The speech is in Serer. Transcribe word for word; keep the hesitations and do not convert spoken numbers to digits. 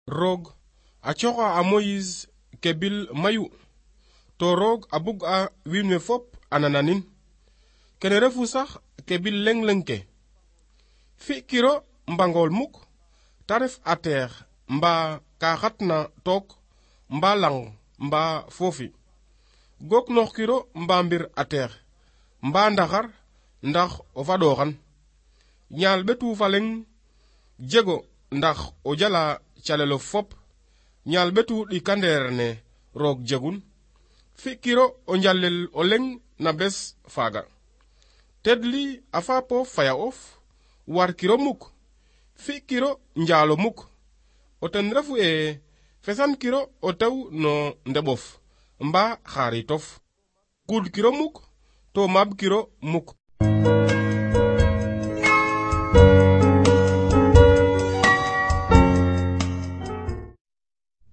roog a coxa a Moïse ke bil mayu to roog a bug a wiin we fop a nananin kene refu sax ke bil leng leng ke fi kiro mbangol muk ta ref a teex mba ka xatna took mba lang mba foofi gok noox kiro mba mbir a teex mba ndaxar ndax o fadoxan ñaal betu fa leng jego ndax o jala calelo fop ñaal betu ɗikandeer ne roog jegun fi kiro o njalel o leng na bes faaga tedli a faapo faya of war kiro muk fi kiro njaalo muk o ten refu e fesan kiro o tew no ndeɓof mba xaaritof kuud kiro muk to maab kiro muk